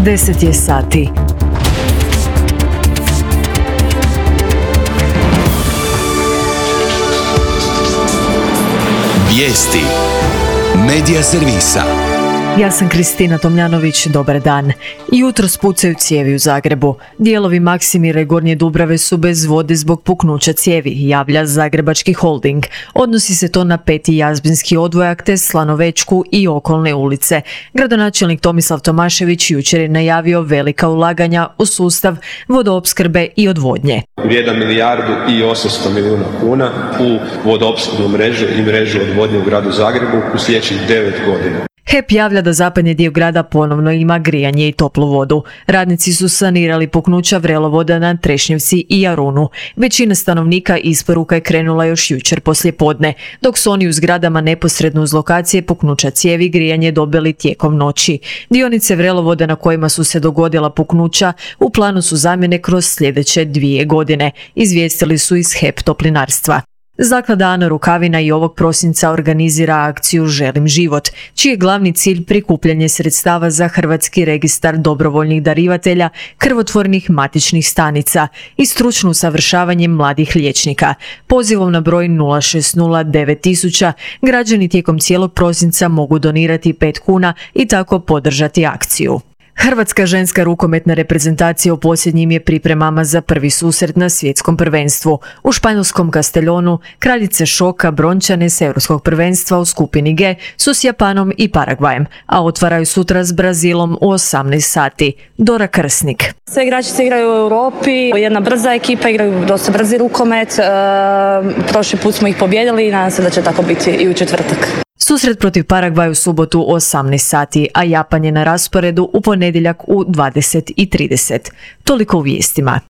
10 je sati. Vijesti Medija servisa. Ja sam Kristina Tomljanović, dobar dan. Jutros pucaju cijevi u Zagrebu. Dijelovi Maksimira i Gornje Dubrave su bez vode zbog puknuća cijevi, javlja Zagrebački holding. Odnosi se to na 5. jazbinski odvojak te Slanovečku i okolne ulice. Gradonačelnik Tomislav Tomašević jučer je najavio velika ulaganja u sustav vodoopskrbe i odvodnje. Vrijedan 1,8 milijardi kuna u vodoopskrbnu mrežu i mrežu odvodnje u gradu Zagrebu u sljedećih 9 godina. HEP javlja da zapadni dio grada ponovno ima grijanje i toplu vodu. Radnici su sanirali puknuća vrelovoda na Trešnjevci i Jarunu. Većina stanovnika isporuka je krenula još jučer poslijepodne, dok su oni u zgradama neposredno uz lokacije puknuća cijevi grijanje dobili tijekom noći. Dionice vrelovoda na kojima su se dogodila puknuća u planu su zamjene kroz sljedeće 2 godine, izvijestili su iz HEP Toplinarstva. Zaklada Ana Rukavina i ovog prosinca organizira akciju Želim život, čiji je glavni cilj prikupljanje sredstava za Hrvatski registar dobrovoljnih darivatelja krvotvornih matičnih stanica i stručno usavršavanje mladih liječnika. Pozivom na broj 060 9000 građani tijekom cijelog prosinca mogu donirati 5 kuna i tako podržati akciju. Hrvatska ženska rukometna reprezentacija u posljednjim je pripremama za prvi susret na svjetskom prvenstvu. U španjolskom Castellonu kraljice šoka brončane s europskog prvenstva u skupini G su s Japanom i Paragvajem, a otvaraju sutra s Brazilom u 18 sati. Dora Krsnik. Sve igračice igraju u Europi, jedna brza ekipa, igraju dosta brzi rukomet. Prošli put smo ih pobijedili i nadam se da će tako biti i u četvrtak. Susret protiv Paragvaja u subotu u 18 sati, a Japan je na rasporedu u ponedjeljak u 20:30. Toliko u vijestima.